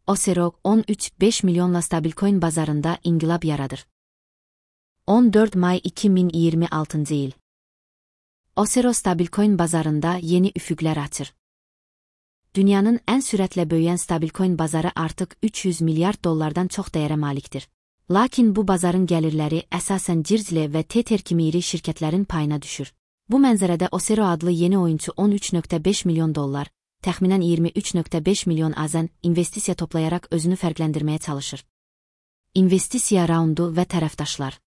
Osero 13,5 milyonla stabilcoin bazarında inqilab yaradır. 14 may 2026 il. Osero stabilcoin bazarında yeni üfüqlər açır. Dünyanın ən sürətlə böyüyən stabilcoin bazarı artıq 300 milyard dollardan çox dəyərə malikdir. Lakin bu bazarın gəlirləri əsasən Cirzle və Tether kimi iri şirkətlərin payına düşür. Bu mənzərədə Osero adlı yeni oyunçu 13,5 milyon dollar, təxminən 23,5 milyon AZN investisiya toplayaraq özünü fərqləndirməyə çalışır. İnvestisiya raundu və tərəfdaşlar.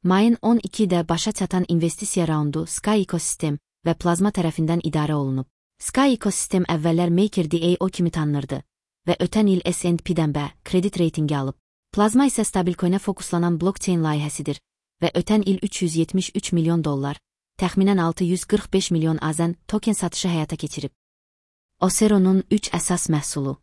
Mayın 12-də başa çatan investisiya raundu Sky Ecosystem və Plazma tərəfindən idarə olunub. Sky Ecosystem əvvəllər MakerDAO kimi tanınırdı və ötən il S&P-dən B kredit reytingi alıb. Plazma isə stabilcoinə fokuslanan blockchain layihəsidir və ötən il 373 milyon dollar, təxminən 645 milyon AZN token satışı həyata keçirib. Osero'nun 3 əsas məhsulu.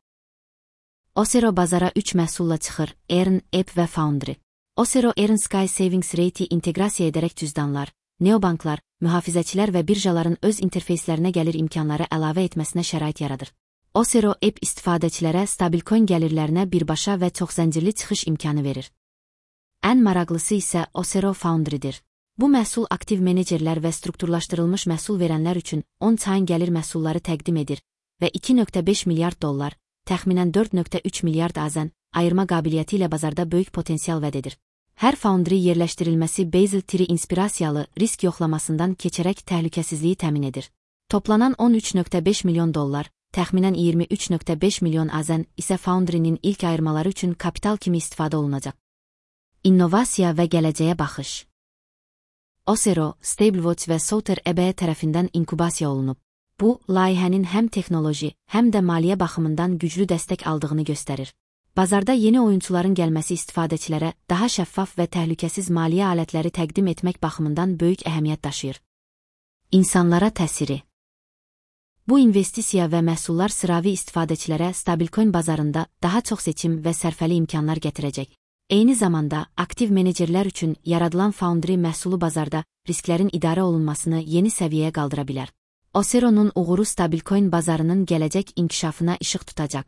Osero bazara 3 məhsulla çıxır: Earn, App və Foundry. Osero Earn Sky Savings Rate'i inteqrasiya edərək cüzdanlar, neobanklar, mühafizəçilər və birjaların öz interfeyslərinə gəlir imkanları əlavə etməsinə şərait yaradır. Osero App istifadəçilərə stabilcoin gəlirlərinə birbaşa və çoxzəncirli çıxış imkanı verir. Ən maraqlısı isə Osero Foundry'dir. Bu məhsul aktiv menecerlər və strukturlaşdırılmış məhsul verənlər üçün on-chain gəlir məhsulları təqdim edir və 2,5 milyard dollar, təxminən 4,3 milyard AZN ayırma qabiliyyəti ilə bazarda böyük potensial vəd edir. Hər Foundry yerləşdirilməsi Basel Tree inspirasiyalı risk yoxlamasından keçərək təhlükəsizliyi təmin edir. Toplanan 13,5 milyon dollar, təxminən 23,5 milyon AZN isə Foundry'nin ilk ayırmaları üçün kapital kimi istifadə olunacaq. İnnovasiya və gələcəyə baxış. Osero, StableWatch və Souter EBE tərəfindən inkubasiya olunub. Bu, layihənin həm texnoloji, həm də maliyyə baxımından güclü dəstək aldığını göstərir. Bazarda yeni oyunçuların gəlməsi istifadəçilərə daha şəffaf və təhlükəsiz maliyyə alətləri təqdim etmək baxımından böyük əhəmiyyət daşıyır. İnsanlara təsiri. Bu investisiya və məhsullar sıravi istifadəçilərə stabilcoin bazarında daha çox seçim və sərfəli imkanlar gətirəcək. Eyni zamanda, aktiv menecerlər üçün yaradılan Foundry məhsulu bazarda risklərin idarə olunmasını yeni səviyyəyə qaldıra bilər. Osero'nun uğuru stabilcoin bazarının gələcək inkişafına işıq tutacaq.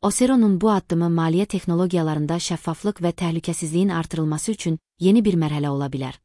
Osero'nun bu addımı maliyyə texnologiyalarında şəffaflıq və təhlükəsizliyin artırılması üçün yeni bir mərhələ ola bilər.